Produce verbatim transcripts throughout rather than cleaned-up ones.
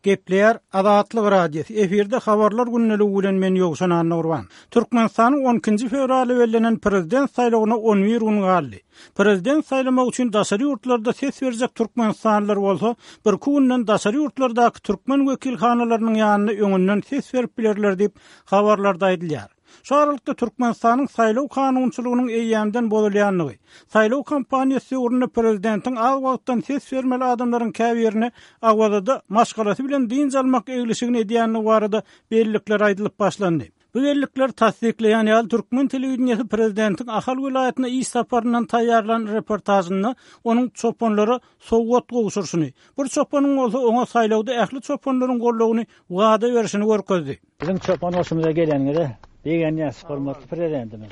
Gepleýär Azatlyk Radiosy. Efirde habarlar gündeligi bilen men Ýowşan Annagurban. Türkmenistanyň on ikinji fewralda bellenen prezident saýlawyna on bir gün galdy. Prezident saýlamak üçin daşary ýurtlarda ses berjek türkmenistanlylar bolsa, birki günden daşary ýurtlardaky türkmen wekilhanalarynyň ýanynda öňünden ses berip bilerler diýip, habarlarda aýdylýar. Şu aralykda Türkmenistanyň saýlaw kanunçylygynyň eýýämden bozulýandygy, saýlaw kampaniýasy döwründe prezidentiň az wagtdan ses bermeli adamlaryň käbirine Awazada maşgalasy bilen dynç almak eglişigini edýändigi barada bellikler aýdylyp başlandy. Bu bellikler tassyklaýan ýaly türkmen telewideniýesi prezidentiň Ahal welaýatyna iş saparyndan taýýarlan reportažynda onuň çopanlara sowgat gowşuryşyny, bir çopanyň bolsa oňa saýlawda ähli çopanlaryň goldawyny wada berişini görkezdi. Biziň çopan goşumyza geleniňize begenýäs, hormatly prezidentimiz.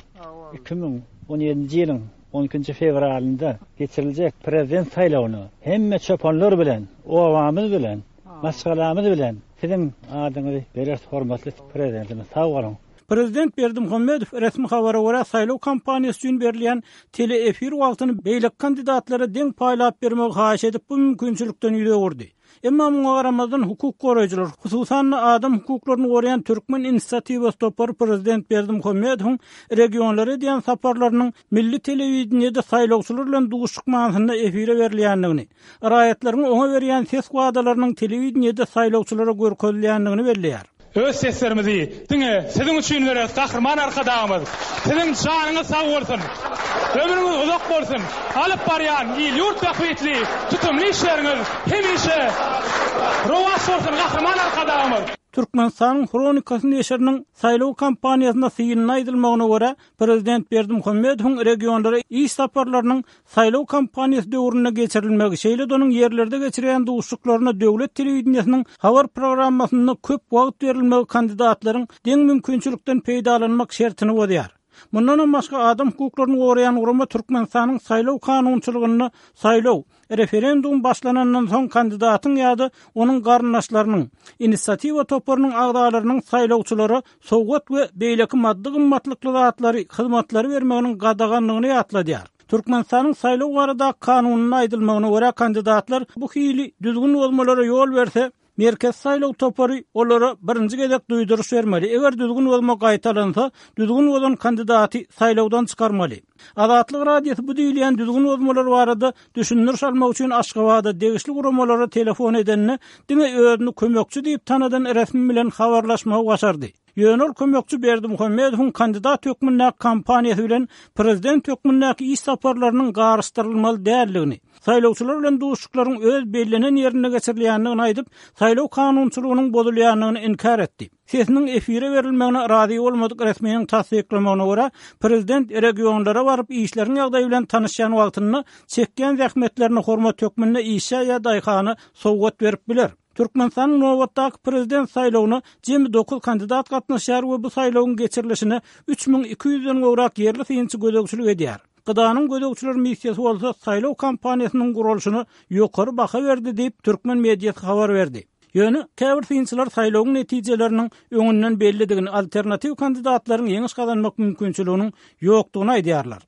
Iki müň on ýedinji ýylyň on ikinji fewralynda geçiriljek prezident saýlawyna hemme çopanlar bilen, obamyz bilen, maşgalamyz bilen siziň adyňyzy bereris, hormatly prezidentimiz. Sag boluň. Prezident Berdimuhamedow resmi habara görä saýlaw kampaniýasy üçin berilýän teleefir wagtyny beýleki kandidatlara deň paýlap bermegi haýyş edip, bu mümkinçilikden ýüz öwürdi. Emma muňa garamazdan hukuk goraýjylar, hususan-da adam hukuklaryny goraýan Türkmen inisiatiwasy topary prezident Berdimuhamedowyň regionlara edýän saparlarynyň milli telewideniýede saýlawçylar bilen duşuşyk manysynda efire berilýändigini, raýatlaryň oňa berýän ses wadalarynyň telewideniýede saýlawçylara görkezilýändigini belleýär. Öz seslerimizi diňe siziň üçin bereris, Gahryman Arkadagymyz. Siziň janyňyz sag bolsun, ömrüňiz uzak bolsun, alyp barýan il-ýurt bähbitli tutumly işleriňiz hemişe rowaç bolsun, Gahryman Arkadagymyz. Türkmenistanyň Hronikasy neşiriniň saýlaw kampaniýasynda synynda aýdylmagyna görä, prezident Berdimuhamedowyň regionlara iş saparlarynyň saýlaw kampaniýasy döwründe geçirilmegi, şeýle-de onuň ýerlerde geçirýän duşuşyklaryna döwlet telewideniýesiniň habar programmasynda köp wagt berilmegi kandidatlaryň deň mümkinçilikden peýdalanmak şertini bozýar. Mundanam başga adam hukuklaryny goraýan gurama Türkmenistanyň saýlaw kanunçylygynda saýlaw, referendum başlanandan soň kandidatyň ýa-da onuň garyndaşlarynyň, inisiatiwa toparynyň agzalarynyň saýlawçylara sowgat we beýleki maddy gymmatlykly zatlary, hyzmatlary bermeginiň gadaganlygyny ýatladýar. Türkmenistanyň saýlaw baradaky kanunynda aýdylmagyna görä kandidatlar bu hili düzgün bozmalara ýol berse, Merkez saýlaw topary olara birinji gezek duýduryş bermeli. Eger düzgün bozma gaýtalansa, düzgün bozan kandidaty saýlawdan çykarmaly. Azatlyk Radiosy bu diýilýän düzgün bozmalar barada düşündiriş almak üçin Aşgabada degişli guramalara telefon edende, diňe özüni kömekçi diýip tanadan resmi bilen habarlaşmagy başardy. Ýöne ol kömekçi Berdimuhamedowyň kandidat hökmündäki kampaniýasy bilen prezident hökmündäki iş saparlarynyň garyşdyrylmaly däldigini, saýlawçylar bilen duşuşyklaryň öz bellenen ýerinde geçirilýändigini aýdyp, saýlaw kanunçylygynyň bozulýandygyny inkär etdi. Sesiniň efire berilmegine razy bolmadyk resminiň tassyklamagyna görä, prezident regionlara baryp işleriň ýagdaýy bilen tanyşýan wagtynda çekýän zähmetlerine hormat hökmünde işçä ýa daýhana sowgat berip biler. Türkmenistanyň nobatdaky prezident saýlawyna jemi dokuz kandidat gatnaşýar we bu saýlawyň geçirilişine üç müň iki ýüzden gowrak ýerli synçy gözegçilik edýär. Gydanyň gözegçiler missiýasy bolsa saýlaw kampaniýasynyň guralyşyna ýokary baha berdi diýip, türkmen mediasy habar berdi. Ýöne käbir synçylar saýlawyň netijeleriniň öňünden bellidigini, alternatiw kandidatlaryň ýeňiş gazanmak mümkinçiliginiň ýokdugyny aýdýarlar.